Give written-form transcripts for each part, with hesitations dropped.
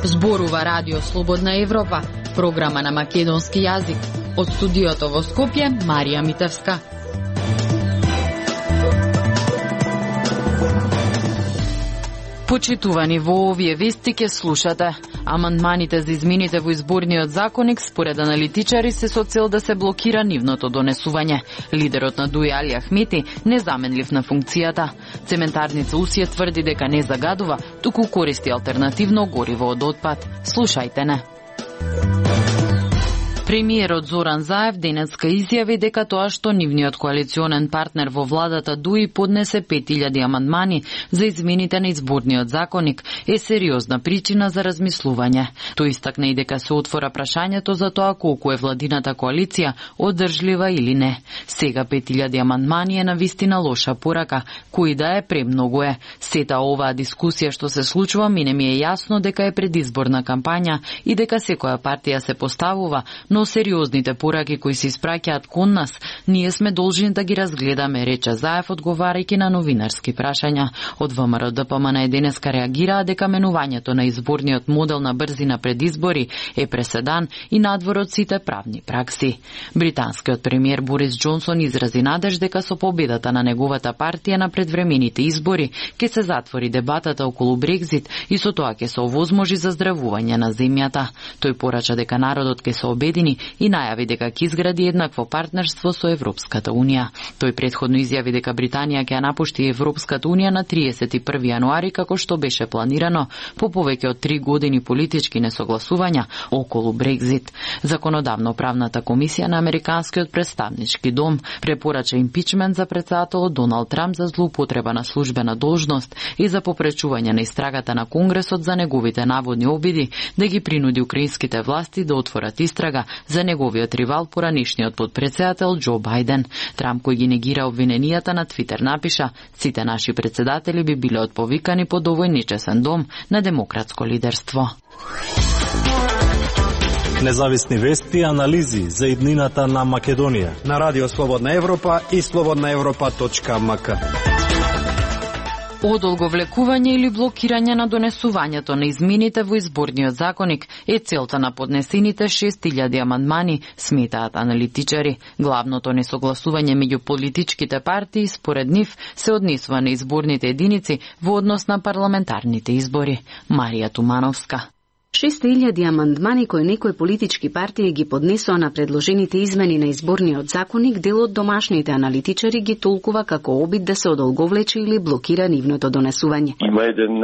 Зборува Радио Слободна Европа, програма на македонски јазик. Од студиото во Скопје, Марија Митевска. Почитувани, во овие вести ке слушате. Амандманите за измените во изборниот законник според аналитичари се со цел да се блокира нивното донесување. Лидерот на ДУИ Али Ахмети незаменлив на функцијата. Цементарница Усија тврди дека не загадува, туку користи алтернативно гориво од отпад. Слушајте не. Премиерот Зоран Заев денеска изјави дека тоа што нивниот коалиционен партнер во владата ДУИ поднесе 5000 амандмани за измените на изборниот законник е сериозна причина за размислување. Тој истакна и дека се отвора прашањето за тоа колку е владината коалиција одржлива или не. Сега 5000 амандмани е навистина лоша порака, кој да е премногу е. Сета оваа дискусија што се случува мине ми е јасно дека е предизборна кампања и дека секоја партија се поставува, но сериозните пораки кои се испраќаат кон нас, ние сме должни да ги разгледаме, рече Заев одговарајќи на новинарски прашања. Од ВМРО ДПМН денеска реагираа дека менувањето на изборниот модел на брзина пред избори е преседан и надвор од сите правни пракси. Британскиот премиер Борис Џонсон изрази надеж дека со победата на неговата партија на предвремените избори ќе се затвори дебатата околу Брекзит и со тоа ќе се овозможи заздравување на земјата. Тој порача дека народот ќе се обедини и најави дека ќе изгради еднакво партнерство со Европската Унија. Тој претходно изјави дека Британија ќе ја напушти Европската Унија на 31 јануари како што беше планирано по повеќе од 3 години политички несогласувања околу Брекзит. Законодавно-правната комисија на Американскиот представнички дом препорача импичмент за претседателот Доналд Трамп за злоупотреба на службена должност и за попречување на истрагата на Конгресот за неговите наводни обиди да ги принуди украинските власти да отворат истрага за неговиот ривал поранишниот подпредседател Џо Бајден. Трамп, кој ги негира обвиненијата, на Твитер напиша: "Сите наши председатели би биле отповикани под овој нечесен дом на демократско лидерство." Независни вести и анализи за иднината на Македонија на Радио Слободна Европа и slobodnaevropa.mk. Одолговлекување или блокирање на донесувањето на измените во изборниот законник е целта на поднесените 6000 амандмани, сметаат аналитичари. Главното несогласување меѓу политичките партии според нив се однесува на изборните единици во однос на парламентарните избори. Марија Тумановска. 6000 амандмани кои некои политички партии ги поднесоа на предложените измени на изборниот законник, дел од домашните аналитичари ги толкува како обид да се одолговлече или блокира нивното донесување. Има еден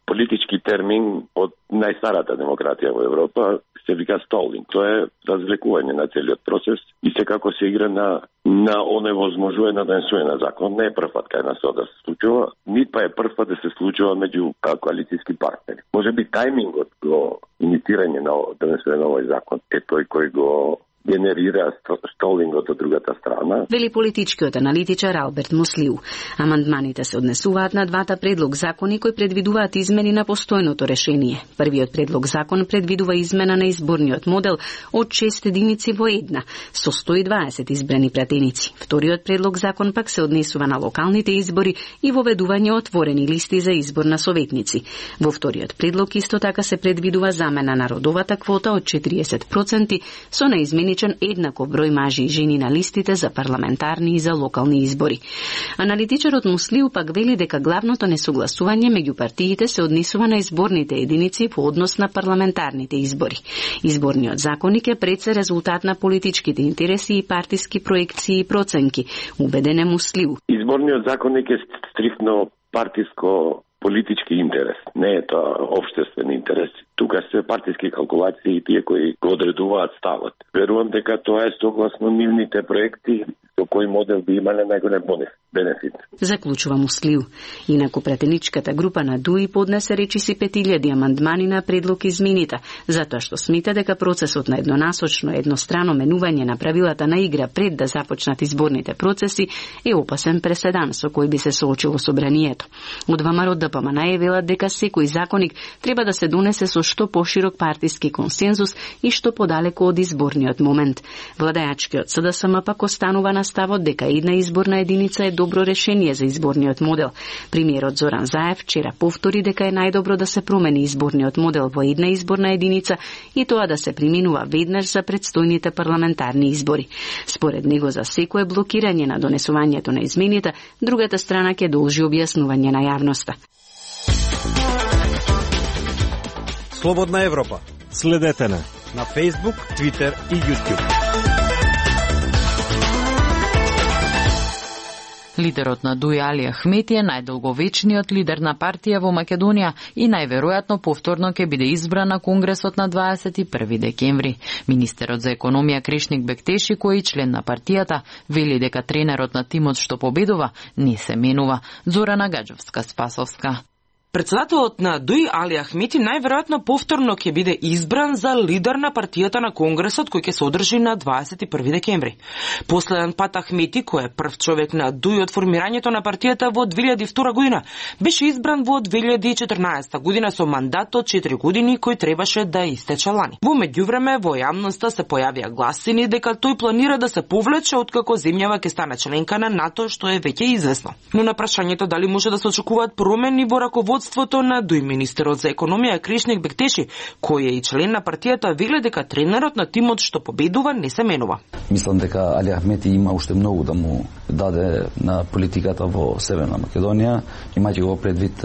политички термин од најстарата демократија во Европа, се вика столинг. Тоа е развлекување на целиот процес и секако се игра на оневозможување на донесување на закон. Не е прв пат кај нас тоа да се случува, нит па е прв пат да се случува меѓу коалицијски партнери. Може би тајмингот го инициирање на донесување на овој закон е тој кој го генерира столингот од другата страна. Вели политичкиот аналитичар Алберт Муслиу. Амандманите се однесуваат на двата предлог закони кои предвидуваат измени на постојното решение. Првиот предлог закон предвидува измена на изборниот модел од 6 единици во една, со 120 избрани пратеници. Вториот предлог закон пак се однесува на локалните избори и воведување отворени листи за избор на советници. Во вториот предлог исто така се предвидува замена на родовата квота од 40% со неизмени еднаков број мажи и жени на листите за парламентарни и за локални избори. Аналитичарот Муслиу пак вели дека главното несогласување меѓу партиите се однесува на изборните единици по однос на парламентарните избори. Изборниот законник е пред се резултат на политичките интереси и партиски проекции и проценки, убеден е Муслиу. Изборниот законник е стриктно партиско политички интерес, не е тоа општествен интерес. Тука се партиски калкулации и тие кои го одредуваат ставот. Верувам дека тоа е согласно нивните проекти со кој модел би имале најголем бенефит. Заклучува Муслиу. Инаку пратеничката група на ДУИ поднесе речиси 5000 амандмани на предлог измените, затоа што смета дека процесот на еднонасочно еднострано менување на правилата на игра пред да започнат изборните процеси е опасен преседан со кој би се соочило собранието. Од ВМРО ДПМН велат дека секој законник треба да се донесе со што поширок партиски консензус и што подалеку од изборниот момент. Владеачкиот СДСМ пак останува на ставот дека една изборна единица е добро решение за изборниот модел. Премиерот Зоран Заев вчера повтори дека е најдобро да се промени изборниот модел во една изборна единица и тоа да се применува веднаш за предстојните парламентарни избори. Според него за секое блокирање на донесувањето на измените, другата страна ќе должи објаснување на јавноста. Слободна Европа. Следете на Facebook, Twitter и YouTube. Лидерот на ДУИ Али Ахмети е најдолговечниот лидер на партија во Македонија и најверојатно повторно ќе биде избран на Конгресот на 21 декември. Министерот за економија Кришник Бектеши, кој е член на партијата, вели дека тренерот на тимот што победува не се менува. Зорана Гаджовска-Спасовска. Председателот на ДУИ Али Ахмети најверојатно повторно ќе биде избран за лидер на партијата на Конгресот кој ќе се одржи на 21 декември. Последен пат Ахмети, кој е прв човек на ДУИ од формирањето на партијата во 2002 година, беше избран во 2014 година со мандат од 4 години кој требаше да истече лани. Во меѓувреме во јавноста се појавија гласини дека тој планира да се повлече откако земјава ќе стане членка на НАТО, што е веќе известно. Но на прашањето дали може да се очекуваат промени во раководството на ДУИ, министерот за економија Кришник Бектеши, кој е и член на партијата, вели дека тренерот на тимот што победува не се менува. Мислам дека Али Ахмети има уште многу да му даде на политиката во Северна Македонија, имајќи го предвид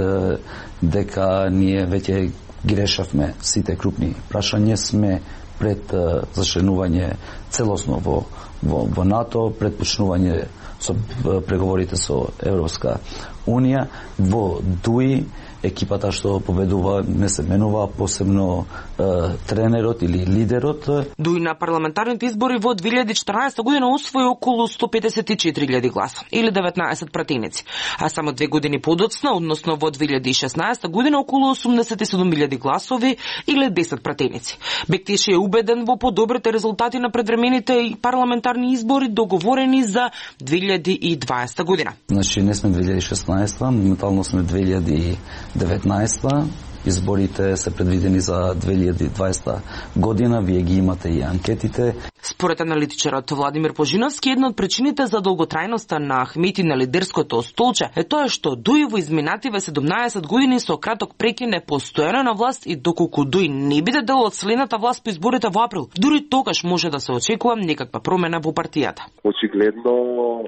дека ние веќе ги решавме сите крупни прашања, сме пред зачленување целосно во НАТО, пред почнување со преговорите со Европска Унија. Во ДУИ екипата што победува не се менува, посебно тренерот или лидерот. ДУИ на парламентарните избори во 2014 година освои околу 154.000 гласа или 19 пратеници, а само 2 години подоцна, односно во 2016 година околу 87.000 гласови или 10 пратеници. Бектеши е убеден во подобрите резултати на предвремените парламентарни избори договорени за 2020 година. Значи не сме 2016, моментално сме 2019. Изборите се предвидени за 2020 година, вие ги имате и анкетите. Според аналитичарот Владимир Пожиновски, една од причините за долготрајноста на Ахмети на лидерското столче е тоа што ДУИ во изминативе 17 години со краток прекин е постојано на власт и доколку ДУИ не биде дел од следната власт по изборите во април, дури тогаш може да се очекува некаква промена во партијата. Очигледно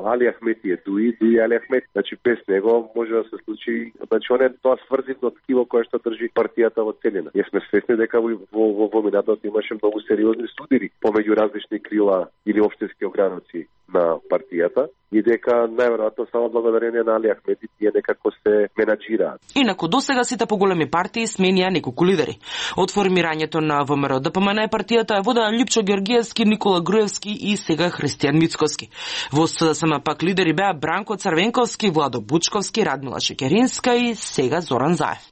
Али Ахмети е ДУИ Али Ахмети. Значи без него може да се случи, значи он е тоа сврзивно ткиво кое што држи партијата во целина. Ние сме свесни дека во минатото имаше многу сериозни судири помеѓу различни крила или општински ограници на партијата и дека најверојатно само благодарение на Али Ахмети тие некако се менаџираат. Инаку досега сите поголеми партии сменија неколку лидери. Од формирањето на ВМРО ДПМН партијата е водена Лјупчо Георгиевски, Никола Груевски и сега Христијан Мицковски. Во СДСМ пак лидери беа Бранко Црвенковски, Владо Бучковски, Радмила Шекеринска и сега Зоран Заев.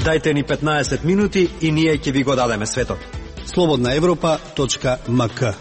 Дајте ни 15 минути и ние ќе ви го дадеме светот. slobodnaevropa.mk.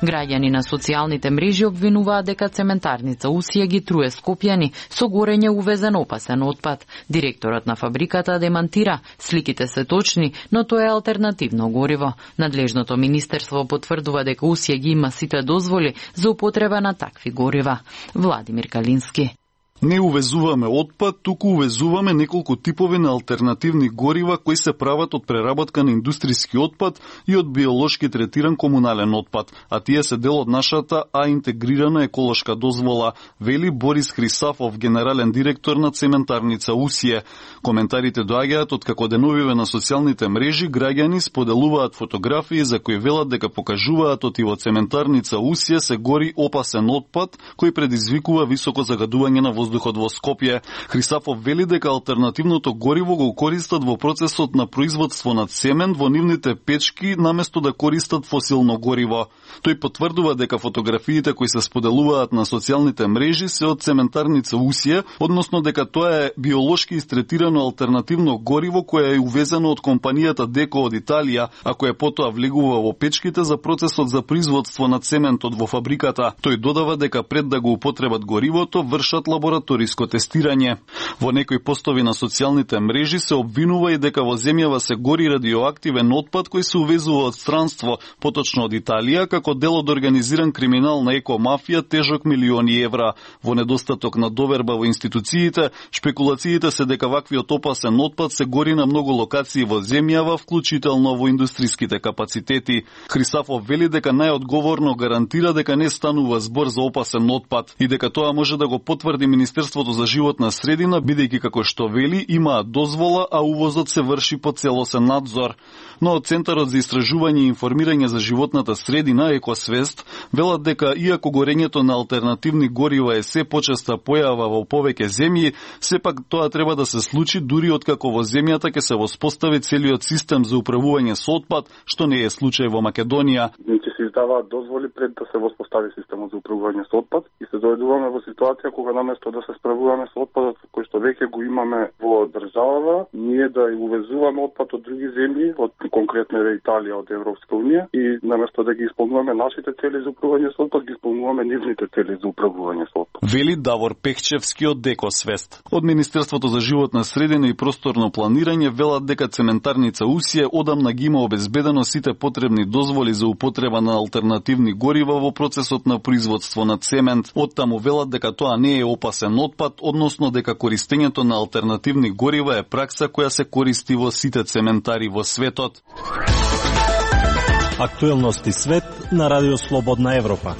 Граѓани на социјалните мрежи обвинуваат дека цементарница Усија ги труе Скопјани со горење увезен опасен отпад. Директорот на фабриката демантира, сликите се точни, но тоа е алтернативно гориво. Надлежното министерство потврдува дека Усија ги има сите дозволи за употреба на такви горива. Владимир Калински. Не увезуваме отпад, туку увезуваме неколку типови на алтернативни горива кои се прават од преработка на индустријски отпад и од биолошки третиран комунален отпад, а тие се дел од нашата интегрирана еколошка дозвола, вели Борис Хрисафов, генерален директор на цементарница Усија. Коментарите доаѓаат од како деновиве на социјалните мрежи граѓани споделуваат фотографии за кои велат дека покажуваат од во цементарница Усија се гори опасен отпад кој предизвикува високо загадување на воздухот во Скопје. Хрисафов вели дека алтернативното гориво го користат во процесот на производство на цемент во нивните печки наместо да користат фосилно гориво. Тој потврдува дека фотографиите кои се споделуваат на социјалните мрежи се од цементарница Усија, односно дека тоа е биолошки истретирано алтернативно гориво кое е увезено од компанијата Деко од Италија, а кое потоа влегува во печките за процесот за производство на цементот во фабриката. Тој додава дека пред да го употребат горивото, вршат лабораторски лабораториско тестирање. Во некои постови на социјалните мрежи се обвинува и дека во земјава се гори радиоактивен отпад кој се увезува од странство, поточно од Италија, како дел од организиран криминал на екомафија тежок милиони евра. Во недостаток на доверба во институциите, шпекулациите се дека ваквиот опасен отпад се гори на многу локации во земјава, вклучително во индустриските капацитети. Хрисафов вели дека најодговорно гарантира дека не станува збор за опасен отпад и дека тоа може да го потврди Министерството за животна средина, бидејќи како што вели имаат дозвола, а увозот се врши по целосен надзор. Но од Центарот за истражување и информирање за животната средина Екосвест велат дека иако горењето на алтернативни горива е се почеста појава во повеќе земји, сепак тоа треба да се случи дури откако во земјата ќе се воспостави целиот систем за управување со отпад, што не е случај во Македонија. Ќе се издаваат дозволи пред да се воспостави системот за управување со отпад и се дојдуваме во ситуација кога наместо да се справуваме со отпадот кој што веќе го имаме во државава, ние да увезуваме отпад од други земји, од конкретно е Италија од Европска унија, и наместо да ги исполнуваме нашите цели за управување со отпад, ги исполнуваме нивните цели за управување со отпад. Вели Давор Пехчевски од Екосвест. Од Министерството за животна средина и просторно планирање велат дека цементарница Усија одамна ги има обезбедено сите потребни дозволи за употреба на алтернативни горива во процесот на производство на цемент. Оттаму велат дека тоа не е опасен отпад, односно дека користењето на алтернативни горива е пракса која се користи во сите цементари во светот. Актуелности свет на Радио Слободна Европа.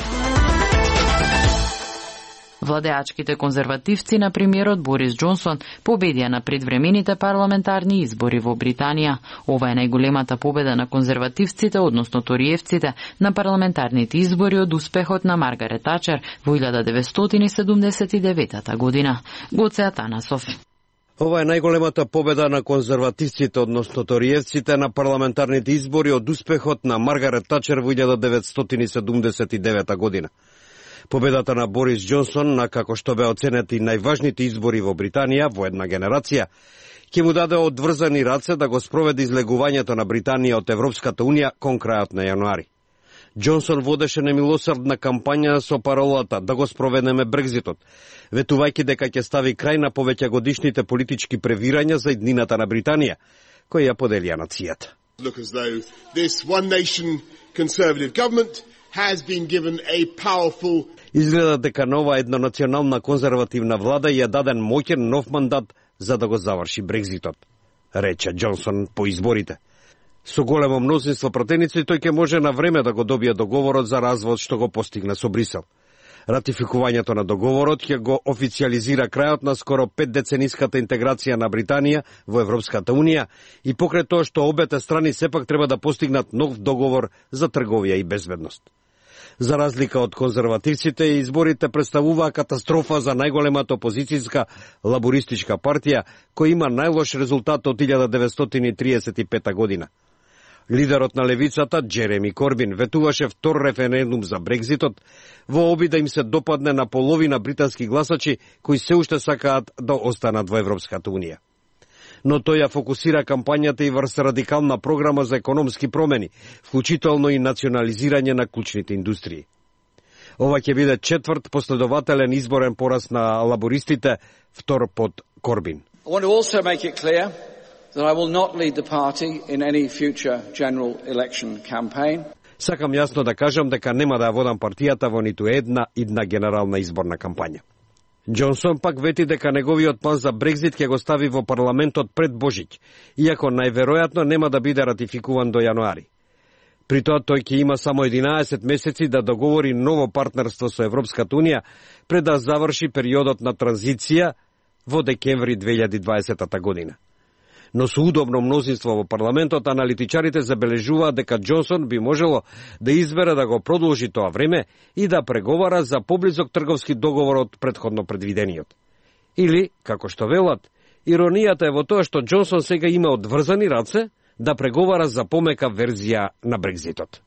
Владеачките конзервативци на премиерот Борис Џонсон победија на предвремените парламентарни избори во Британија. Ова е најголемата победа на конзервативците, односно ториевците, на парламентарните избори од успехот на Маргарет Тачер во 1979 година. Гоце Атанасов. Ова е најголемата победа на конзервативците, односно ториевците, на парламентарните избори од успехот на Маргарет Тачер во 1979 година. Победата на Борис Џонсон, на како што бе оценети најважните избори во Британија во една генерација, ќе му даде одврзани раце да го спроведе излегувањето на Британија од Европската унија кон крајот на јануари. Џонсон водеше немилосрдна кампања со паролата да го спроведеме Брекзитот, ветувајќи дека ќе стави крај на повеќагодишните политички превирања за иднината на Британија, кои ја поделија нацијата. Look as though this one nation conservative government has been given a powerful. Изгледа дека нова еднонационална конзервативна влада ја даден моќен нов мандат за да го заврши Брекзитот, рече Џонсон по изборите. Со големо мнозинство пратеници тој ќе може на време да го добие договорот за развод што го постигна со Брисел. Ратификувањето на договорот ќе го официализира крајот на скоро 5-децениската интеграција на Британија во Европската унија и покрај тоа што обете страни сепак треба да постигнат нов договор за трговија и безбедност. За разлика од конзервативците, изборите представуваа катастрофа за најголемата опозицијска лабористичка партија, која има најлош резултат од 1935 година. Лидерот на левицата, Джереми Корбин, ветуваше втор референдум за Брекзитот во обид да им се допадне на половина британски гласачи кои се уште сакаат да останат во Европската унија. Но тој ја фокусира кампањата и врз радикална програма за економски промени, вклучително и национализирање на клучните индустрии. Ова ќе биде четврт последователен изборен пораз на лабористите, втор под Корбин. I want to also make it clear that I will not lead the party in any future general election campaign. Сакам јасно да кажам дека нема да ја водам партијата во ниту една идна генерална изборна кампања. Џонсон пак вети дека неговиот план за Брекзит ќе го стави во парламентот пред Божиќ, иако најверојатно нема да биде ратификуван до јануари. При тоа тој ќе има само 11 месеци да договори ново партнерство со Европската унија пред да заврши периодот на транзиција во декември 2020 година. Но со удобно мнозинство во парламентот, аналитичарите забележуваат дека Џонсон би можело да избере да го продолжи тоа време и да преговара за поблизок трговски договор од претходно предвидениот. Или, како што велат, иронијата е во тоа што Џонсон сега има одврзани раце да преговара за помека верзија на Брекзитот.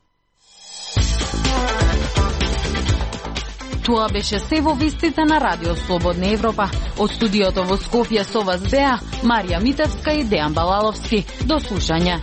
Тоа беше се во вестите на Радио Слободна Европа. Од студиото во Скопје со вас беа Марија Митевска и Дејан Балаловски. До слушање.